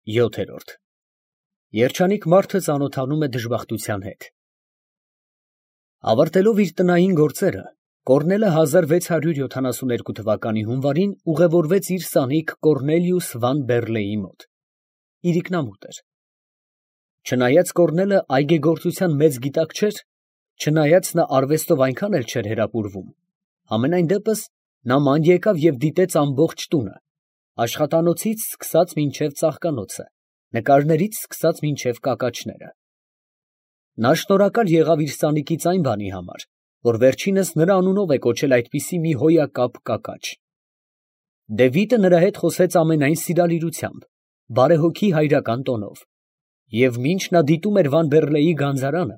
7։ Երջանիկ մարդը ծանոթանում է դժբախտության հետ։ Ավարտելով իր տնային գործերը, Կոռնելը 1672 թվականի հունվարին ուղևորվեց իր սանիկ Կոռնելիուս վան Բերլեի մոտ։ Իրիկնամուտ էր։ Չնայած Կոռնելը այգեգործության մեծ գիտակ չէր, չնայած նա արվեստով այնքան էլ չէր հրապուրվում, համենայն դեպս նա ման եկավ և դիտեց ամբողջ տունը, աշխատանոցից սկսած մինչև ծաղկանոցը, նկարներից սկսած մինչև կակաչները։ Նա շնորհակալ եղավ իր սանիկից այն բանի համար, որ վերջինս նրա անունով է կոչել այդպիսի մի հոյակապ կակաչ։ Դևիթը նրա հետ խոսեց ամենայն սիրալիրությամբ, բարեհոգի հայրական տոնով, և մինչ նա դիտում էր Վան Բերլեի գանձարանը,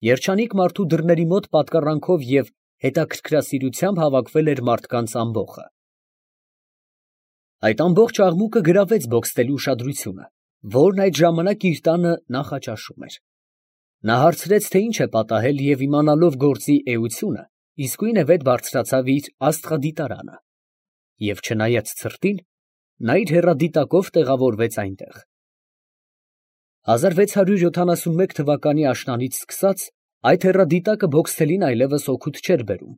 երջանիկ մարդու դռների մոտ պատկառանքով և հետաքրքրասիրությամբ հավաքվել էր մարդկանց ամբոխը։ Այդ ամբողջ աղմուկը գրավեց Բոքստելի ուշադրությունը, որն այդ ժամանակ իր տանը նախաճաշում էր։ Նա հարցրեց, թե ինչ է պատահել, և իմանալով գործի էությունը, իսկույն վետ բարձրացավ իր աստղադիտարանը, և չնայած ցրտին, նա իր հեռադիտակով տեղավորվեց այնտեղ։ 1671 թվականի աշնանից սկսած այդ հեռադիտակը Բոքստելին այլևս օգուտ չէր բերում։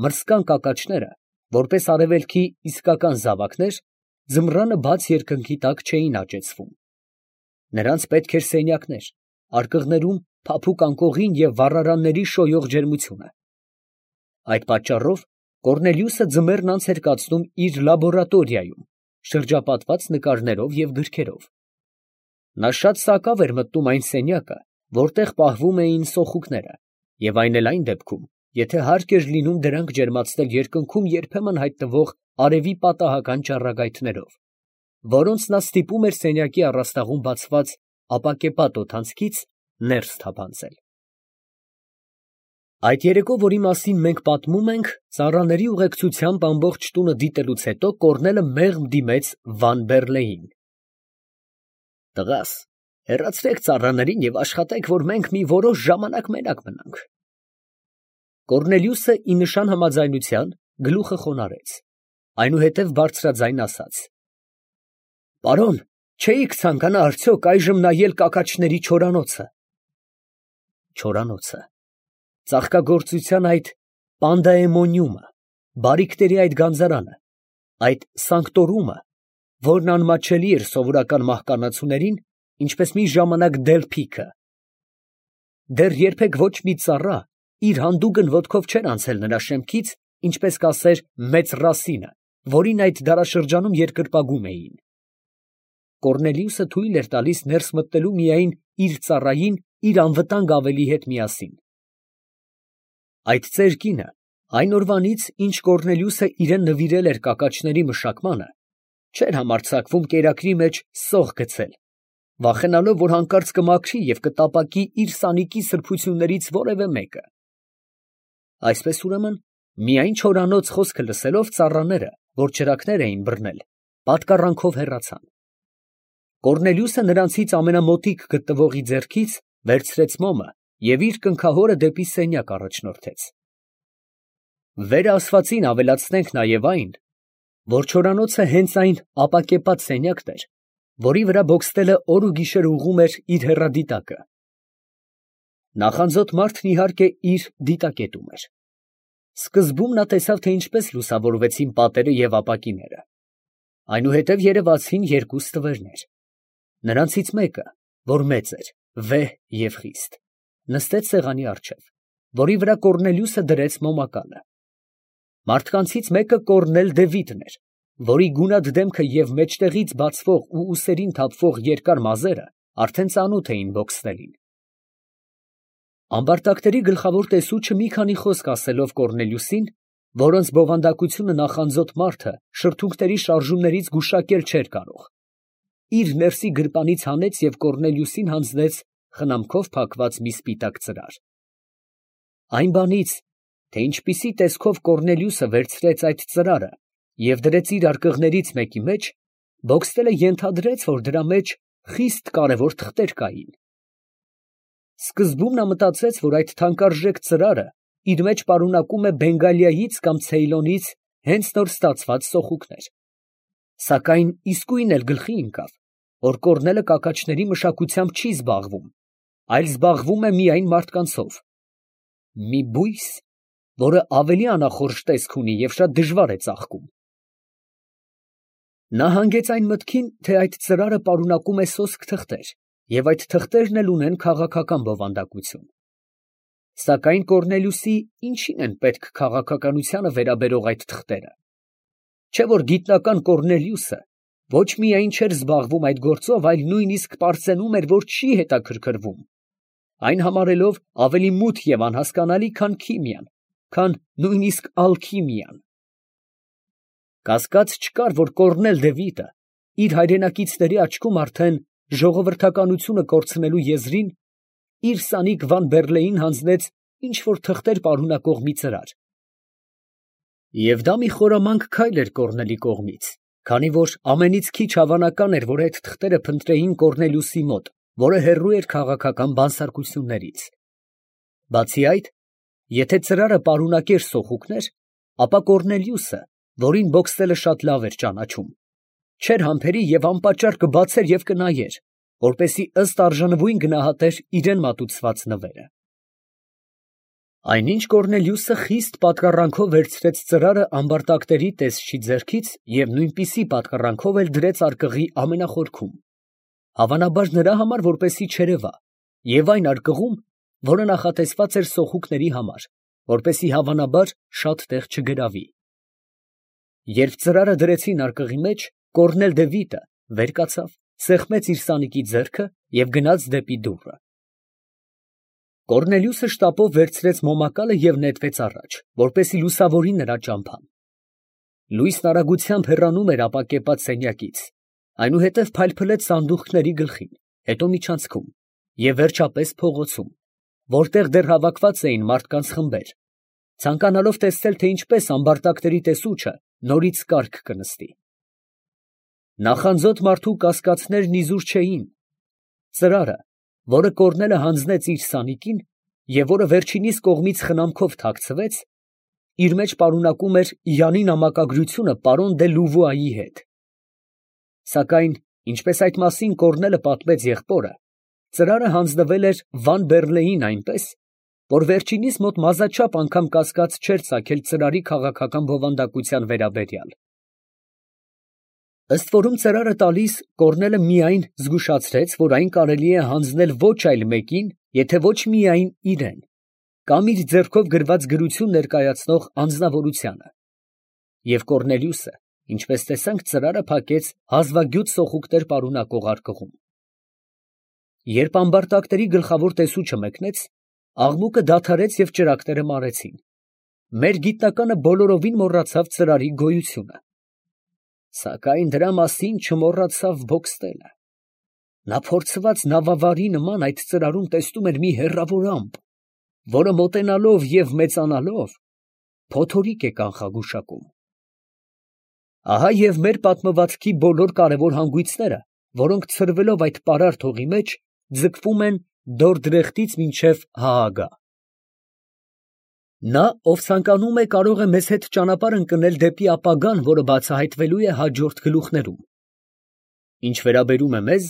Մրսկան կակաչները, որպես արևելքի իսկական զավակներ, ձմռանը բաց երկնքի տակ չէին աճեցվում։ Նրանց պետք էր սենյակներ, արկղներում փափուկ անկողին և վառարանների շոյող ջերմությունը։ Այդ պատճառով Կոռնելիուսը ձմեռն անց էր կացնում իր լաբորատորիայում, շրջապատված նկարներով և գրքերով։ Նա շատ սակավ էր մտնում այն սենյակը, որտեղ պահվում էին սոխուկները, և այն էլ այն դեպքում, եթե հարկ էր լինում դրանք ջերմացնել երկնքում երբեմն հայտնվող արևի պատահական ճառագայթներով, որոնց նա ստիպում էր սենյակի առաստաղում բացված ապակեպատ օդանցքից ներս թափանցել։ Այդ երեկո, որի մասին մենք պատմում ենք, ծառաների ուղեկցությամբ ամբողջ տունը դիտելուց հետո Կոռնելը մեղմ դիմեց Վան Բերլեին։ «Տղաս, հեռացրեք ծառաներին և աշխատեք, որ մենք մի որոշ ժամանակ մենակ մնանք»։ Կոռնելիուսը, ի նշան համաձայնության, գլուխը խոնարհեց, այնուհետև բարձրաձայն ասաց. «Պարոն, չէիք ցանկանա արդյոք այժմ նայել կակաչների չորանոցը»։ Չորանոցը, ծաղկագործության այդ պանդայեմոնիումը, բարիքների այդ գանձարանը, այդ սանկտորումը, որն անմատչելի էր սովորական մահկանացուներին, ինչպես մի ժամանակ դելփիքը։ Դեռ երբեք ոչ մի ծառա իր հանդուգն ոտքով չէր անցել նրա շեմքից, ինչպես կասեր մեծ Ռասինը, որին այդ դարաշրջանում երկրպագում էին։ Կոռնելիուսը թույլ էր տալիս ներս մտնելու միայն իր ծառային իր անվտանգ ավելի հետ միասին։ Այդ ծեր կինը այն օրվանից, ինչ Կոռնելիուսը իրան նվիրել էր կակաչների մշակմանը, չէր համարձակվում կերակրի մեջ սող գցել, վախենալով, որ հանկարծ կմաքրի և կտապակի իր սանիկի սրբություններից որևէ մեկը։ Այսպես ուրեմն, միայն չորանոց խոսքը լսելով ծառաները, որ ճրագներ էին բռնել, պատկառանքով հեռացան։ Կոռնելիուսը նրանցից ամենամոտիկ գտնվողի ձեռքից վերցրեց մոմը և իր կնքահորը դեպի սենյակ առաջնորդեց։ Վերը ասվածին ավելացնենք նաև այն, որ չորանոցը հենց այն ապակեպատ սենյակն էր, որի վրա Բոքստելը օր ու գիշեր ուղղում էր իր հեռադիտակը։ Նախանձոտ մարդն իհարկե իր դիտակետում էր։ Սկզբում նա տեսավ, թե ինչպես լուսավորվեցին պատերը և ապակիները։ Այնուհետև երևացին երկու ստվերներ։ Նրանցից մեկը, որ մեծ էր, վեհ և խիստ, նստեց սեղանի առջև, որի վրա Կոռնելիուսը դրեց մոմակալը։ Մարդկանցից մեկը Կոռնել Դևիթն էր, որի գունատ դեմքը և մեջտեղից բացվող ու ուսերին թափվող երկար մազերը արդեն ծանոթ էին Բոքստելին։ Ամբարտակների գլխավոր տեսուչը մի քանի խոսք ասելով Կոռնելիուսին, որոնց բովանդակությունը նախանձոտ մարդը շրթունքների շարժումներից գուշակել չէր կարող, իր ներսի գրպանից հանեց և Կոռնելիուսին հանձնեց խնամքով փակված մի սպիտակ ծրար։ Այն բանից, թե ինչպիսի տեսքով Կոռնելիուսը վերցրեց այդ ծրարը և դրեց իր արկղներից մեկի մեջ, Բոքստելը ենթադրեց, որ դրա մեջ խիստ կարևոր թղթեր կային։ Սկզբում նա մտածեց, որ այդ թանկարժեք ծրարը իր մեջ պարունակում է Բենգալիայից կամ Ցեյլոնից հենց նոր ստացված սոխուկներ, սակայն իսկույն էլ գլխի ընկավ, որ Կոռնելը կակաչների մշակությամբ չի զբաղվում, այլ զբաղվում է միայն մարդկանցով. մի բույս, որը ավելի անախորժ տեսք ունի և շատ դժվար է ծաղկում։ Նա հանգեց այն մտքին, թե այդ ծրարը պարունակում է սոսկ թղթեր, և այդ թղթերն էլ ունեն քաղաքական բովանդակություն։ Սակայն Կոռնելիուսի ինչին են պետք քաղաքականությանը վերաբերող այդ թղթերը։ Չէ՞ որ գիտնական Կոռնելիուսը ոչ միայն չէր զբաղվում այդ գործով, այլ նույնիսկ պարծենում էր, որ չի հետաքրքրվում, այն համարելով ավելի մութ և անհասկանալի, քան քիմիան, քան նույնիսկ ալքիմիան։ Կասկած չկար, որ Կոռնել Դևիդը իր հայրենակիցների աչքում արդեն ժողովրդականությունը կորցնելու եզրին իր սանիկ Վան Բերլեին հանձնեց ինչ֊որ թղթեր պարունակող մի ծրար։ Եվ դա մի խորամանկ քայլ էր Կոռնելի կողմից, քանի որ ամենից քիչ հավանական էր, որ այդ թղթերը փնտրեին Կոռնելիուսի մոտ, որը հեռու էր քաղաքական բանսարկություններից։ Բացի այդ, եթե ծրարը պարունակեր սոխուկներ, ապա Կոռնելիուսը, որին Բոքստելը շատ լավ էր ճանաչում, չէր համբերի և անպատճառ կբացեր և կնայեր, որպեսզի ըստ արժանվույն գնահատեր իրան մատուցված նվերը։ Այնինչ Կոռնելիուսը խիստ պատկառանքով վերցրեց ծրարը ամբարտակների տեսչի ձեռքից և նույնպիսի պատկառանքով էլ դրեց արկղի ամենախորքում, հավանաբար նրա համար, որպեսզի չերևա, և այն արկղում, որը նախատեսված էր սոխուկների համար, որպեսզի հավանաբար շատ տեղ չգրավի։ Երբ ծրարը դրեցին արկղի մեջ, Կոռնել Դևիդը վեր կացավ, սեղմեց իր սանիկի ձեռքը և գնաց դեպի դուռը։ Կոռնելիուսը շտապով վերցրեց մոմակալը և նետվեց առաջ, որպեսզի լուսավորի նրա ճամփան։ Լույսն արագությամբ հեռանում էր ապակեպած սենյակից, այնուհետև փայլփլեց սանդուղքների գլխին, հետո միջանցքում և վերջապես փողոցում, որտեղ դեռ հավաքված էին մարդկանց խմբեր, ցանկանալով տեսնել, թե ինչպես ամբարտակների տեսուչը նորից կարգ կնստի։ Նախանձոտ մարդու կասկածներն իզուր չէին. ծրարը, որը Կոռնելը հանձնեց իր սանիկին և որը վերջինիս կողմից խնամքով թաքցվեց, իր մեջ պարունակում էր Յանի նամակագրությունը պարոն դե Լուվուայի հետ։ Սակայն, ինչպես այդ մասին Կոռնելը պատմեց եղբորը, ծրարը հանձնվել էր Վան Բերլեին այնպես, որ վերջինիս մոտ մազաչափ անգամ կասկած չէր ծագել ծրարի քաղաքական բովանդակության վերաբերյալ։ Ըստ որում ծրարը տալիս, Կոռնելը միայն զգուշացրեց, որ այն կարելի է հանձնել ոչ այլ մեկին, եթե ոչ միայն իրեն, կամ իր ձեռքով գրված գրություն ներկայացնող անձնավորությանը։ Եվ Կոռնելիուսը, ինչպես տեսանք, ծրարը փակեց հազվագյուտ սոխուկներ պարունակող արկղում։ Երբ ամբարտակների գլխավոր տեսուչը մեկնեց, աղմուկը դադարեց և ճրագները մարեցին։ Մեր գիտնականը բոլորովին մոռացավ ծրարի գոյությունը։ Սակայն դրա մասին չմոռացավ Բոքստելը։ Նա փորձված նավավարի նման այդ ծրարում տեսնում էր մի հեռավոր ամպ, որը մոտենալով և մեծանալով փոթորիկ է կանխագուշակում։ Ահա և մեր պատմվածքի բոլոր կարևոր հանգույցները, որոնք ցրվելով այդ պարարտ հողի մեջ, ձգվում են Դորդրեխտից մինչև Հաագա։ Նա, ով ցանկանում է, կարող է մեզ հետ ճանապարհ ընկնել դեպի ապագան, որը բացահայտվելու է հաջորդ գլուխներում։ Ինչ վերաբերում է մեզ,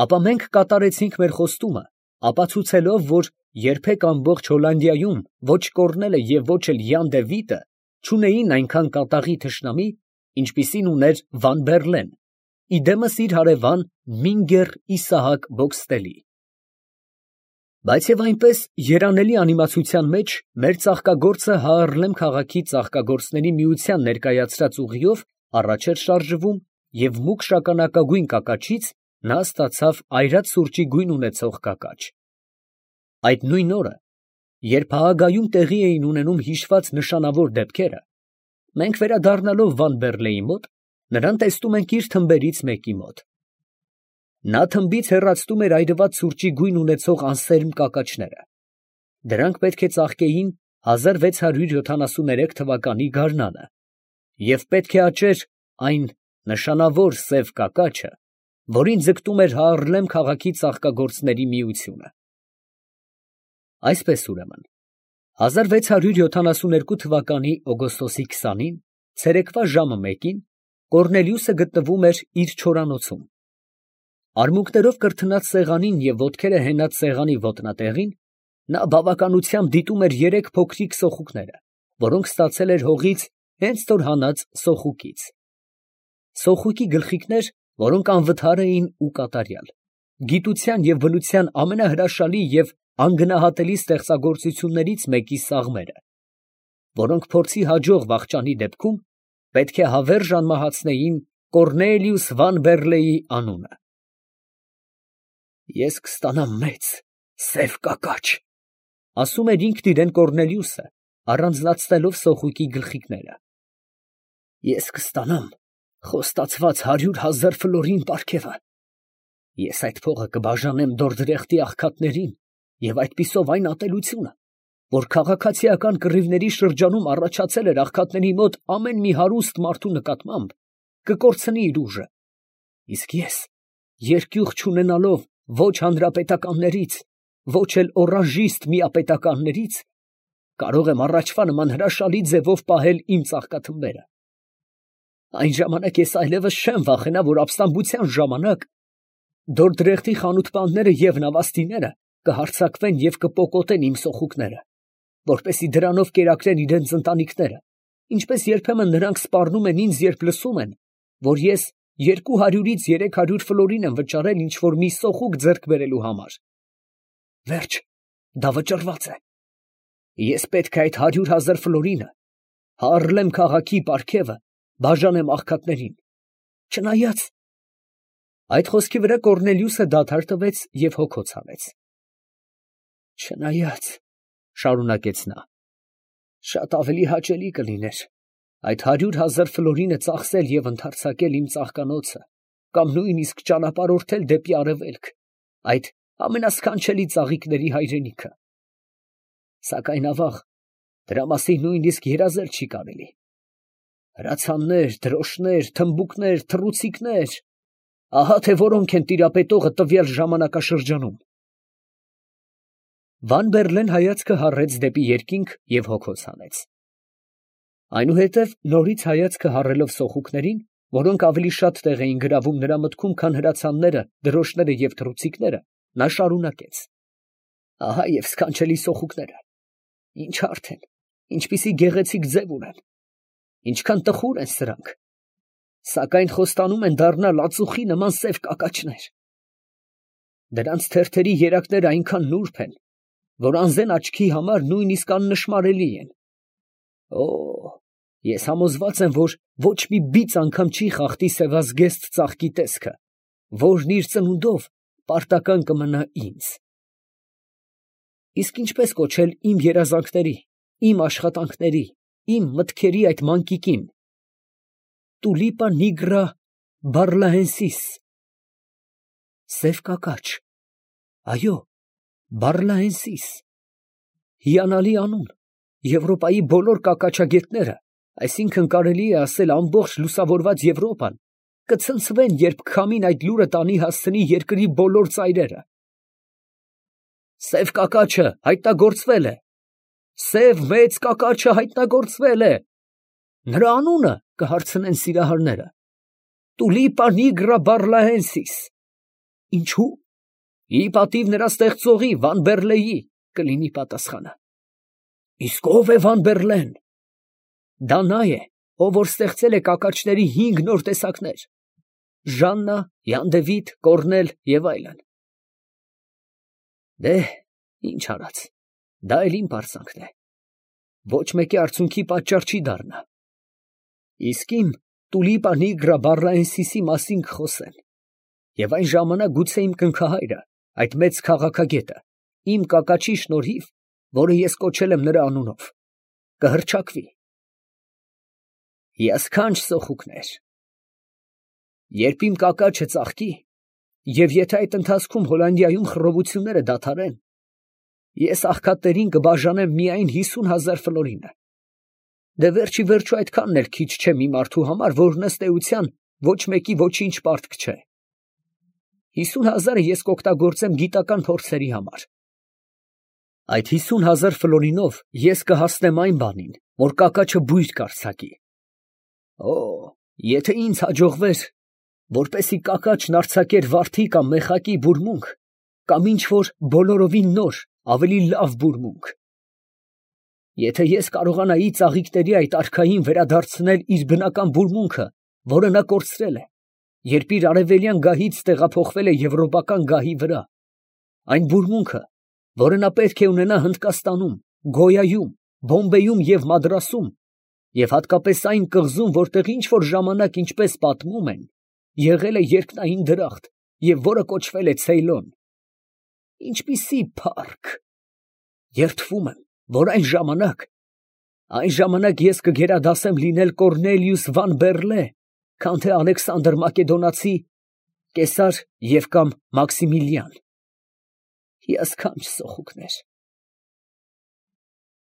ապա մենք կատարեցինք մեր խոստումը, ապացուցելով, որ երբեք ամբողջ Հոլանդիայում ոչ Կոռնելը և ոչ էլ Յան Դևիդը չունեին այնքան կատաղի թշնամի, ինչպիսին ուներ Վան Բերլեն, իդեմս իր հարևան Մինգեր Իսահակ Բոքստելի։ Բայց և այնպես երանելի անիմացության մեջ մեր ծաղկագործը Հաառլեմ քաղաքի ծաղկագործների միության ներկայացրած ուղիով առաջ էր շարժվում և մուգ շագանակագույն կակաչից նա ստացավ այրած սուրճի գույն ունեցող կակաչ։ Այդ նույն օրը, երբ Հաագայում տեղի էին ունենում հիշված նշանավոր դեպքերը, մենք վերադառնալով Վան Բերլեի մոտ, նրան տեսնում ենք իր թմբերից մեկի մոտ։ Նա թմբից հեռացնում էր այրված սուրճի գույն ունեցող անսերմ կակաչները։ Դրանք պետք է ծաղկեին 1673 թվականի գարնանը, և պետք է աճեր այն նշանավոր սև կակաչը, որին ձգտում էր Հաառլեմ քաղաքի ծաղկագործների միությունը։ Այսպես ուրեմն, 1672 թվականի օգոստոսի 20-ին, ցերեկվա ժամը 1-ին, Կոռնելիուսը գտնվում էր իր չորանոցում։ Արմունկներով կրթնած սեղանին և ոտքերը հենած սեղանի ոտնատեղին նա բավականությամբ դիտում էր երեք փոքրիկ սոխուկները, որոնք ստացել էր հողից հենց նոր հանած սոխուկից. սոխուկի գլխիկներ, որոնք անվթար էին ու կատարյալ, գիտության և բնության ամենահրաշալի և անգնահատելի ստեղծագործություններից մեկի սաղմերը, որոնք փորձի հաջող վախճանի դեպքում պետք է հավերժ անմահացնեին Կոռնելիուս Վան Բերլեի անունը։ «Ես կստանամ մեծ, սև կակաչ», ֊ ասում էր ինքն իրան Կոռնելիուսը, առանձնացնելով սոխուկի գլխիկները։ «Ես կստանամ խոստացված 100,000 ֆլորին պարգևը։ Ես այդ փողը կբաժանեմ Դորդրեխտի աղքատներին և այդպիսով այն ատելությունը, որ քաղաքացիական կռիվների շրջանում առաջացել էր աղքատների մոտ ամեն մի հարուստ մարդու նկատմամբ, կկորցնի իր ուժը, իսկ ես, երկյուղ չունենալով ոչ հանրապետականներից, ոչ էլ օրանժիստ միապետականներից, կարող եմ առաջվա նման հրաշալի ձևով պահել իմ ծաղկաթմբերը։ Այն ժամանակ ես այլևս չեմ վախենա, որ ապստամբության ժամանակ Դորդրեխտի խանութպանները և նավաստիները կհարձակվեն և կպոկոտեն իմ սոխուկները, որպեսզի դրանով կերակրեն իրենց ընտանիքները, ինչպես երբեմն նրանք սպառնում են ինձ, երբ լսում են, որ ես 200-ից 300 ֆլորին եմ վճարել ինչ֊որ մի սոխուկ ձեռք բերելու համար։ Վերջ, դա վճռված է։ Ես պետք է այդ 100,000 ֆլորինը Հառլեմ քաղաքի պարգևը բաժանեմ աղքատներին, չնայած… Այդ խոսքի վրա Կոռնելիուսը դադար տվեց և հոգոց հանեց։ Չնայած, շարունակեց նա, շատ ավելի հաճելի կլիներ այդ 100,000 ֆլորինը ծախսել և ընդարձակել իմ ծաղկանոցը կամ նույնիսկ ճանապարհորդել դեպի արևելք, այդ ամենասքանչելի ծաղիկների հայրենիքը, սակայն ավաղ, դրա մասին նույնիսկ երազել չի կարելի։ Հրացաններ, դրոշներ, թմբուկներ, թռուցիկներ… ահա թե որոնք են տիրապետողը տվյալ ժամանակաշրջանում։ Վան Բերլեն հայացքը հառեց դեպի երկինք և հոգոց հանեց։ Այնուհետև նորից հայացքը հառելով սոխուկներին, որոնք ավելի շատ տեղ էին գրավում նրա մտքում, քան հրացանները, դրոշները և թռուցիկները, նա շարունակեց. ահա և սքանչելի սոխուկները… Ինչ հարթ են, ինչպիսի գեղեցիկ ձև ունեն, ինչքան տխուր են սրանք, սակայն խոստանում են դառնալ ածուխի նման սև կակաչներ… Դրանց թերթերի երակները այնքան նուրբ են, որ անզեն աչքի համար նույնիսկ աննշմարելի են… Օ՜, ես համոզված եմ, որ ոչ մի բիծ անգամ չի խախտի սևազգեստ ծաղկի տեսքը, որն իր ծնունդով պարտական կմնա ինձ… Իսկ ինչպես կոչել իմ երազանքների, իմ աշխատանքների, իմ մտքերի այդ մանկիկին… Տուլիպա նիգրա բարլահենսիս… Սև կակաչ… այո, Բարլահենսիս… Հիանալի անուն… Եվրոպայի բոլոր կակաչագետները, այսինքն կարելի է ասել ամբողջ լուսավորված Եվրոպան, կցնցվեն, երբ քամին այդ լուրը տանի հասցնի երկրի բոլոր ծայրերը… Սև կակաչը հայտնագործվել է… Սև մեծ կակաչը հայտնագործվել է… Նրա անունը կհարցնեն սիրահարները… Տուլիպա նիգրա բարլահենսիս… Ինչո՞ւ… Ի պատիվ նրա ստեղծողի Վան Բերլեի կլինի պատասխանը… Իսկ ո՞վ է Վան Բերլեն… Դա նա է, ով որ ստեղծել է կակաչների 5 նոր տեսակներ… Ժաննա, Յան Դևիթ, Կոռնել և այլն… Դե՛հ, ինչ արած, դա էլ իմ պարծանքն է… Ոչ մեկի արցունքի պատճառ չի դառնա… Իսկ իմ Տուլիպա նիգրա բարլահենսիսի մասին կխոսեն… Եվ այն ժամանակ գուցե իմ կնքահայրը, այդ մեծ քաղաքագետը, իմ կակաչի շնորհիվ, որը ես կոչել եմ նրա անունով, կհռչակվի… Հիասքանչ սոխուկներ… Երբ իմ կակաչը ծաղկի, և եթե այդ ընթացքում Հոլանդիայում խռովությունները դադարեն, ես աղքատներին կբաժանեմ միայն 50,000 ֆլորինը… Դե վերջիվերջո այդքանն էլ քիչ չէ մի մարդու համար, որն ըստ էության ոչ մեկի ոչինչ պարտք չէ… 50,000-ը ես կօգտագործեմ գիտական փորձերի համար… Այդ 50,000 ֆլորինով ես կհասնեմ այն բանին, որ կակաչը բույր կարձակի… Օ՜, եթե ինձ հաջողվեր, որպեսի կակաչն արձակեր վարդի կամ մեխակի բուրմունք, կամ ինչ որ բոլորովին նոր, ավելի լավ բուրմունք։ Եթե ես կարողանայի ծաղիկների այդ արքային վերադարձնել իր բնական բուրմունքը, որը նա կորցրել է, երբ իր արևելյան գահից տեղափոխվել է եվրոպական գահի վրա, այն բուրմունքը, որը նա պետք է ունենա Հնդկաստանում, Գոյայում, Բոմբեյում և Մադրասում, և հատկապես այն կղզում, որտեղ ինչ որ ժամանակ, ինչպես պատմում են, եղել է երկնային դրախտ և որը կոչվել է Ցեյլոն։ Ինչպիսի փառք… Երդվում եմ, որ այն ժամանակ ես կգերադասեմ լինել Կոռնելիուս Վան Բեռլե, քան թե Ալեքսանդր Մակեդոնացի, Կեսար և կամ Մաքսիմիլիան։ Հիասքանչ սոխուկներ։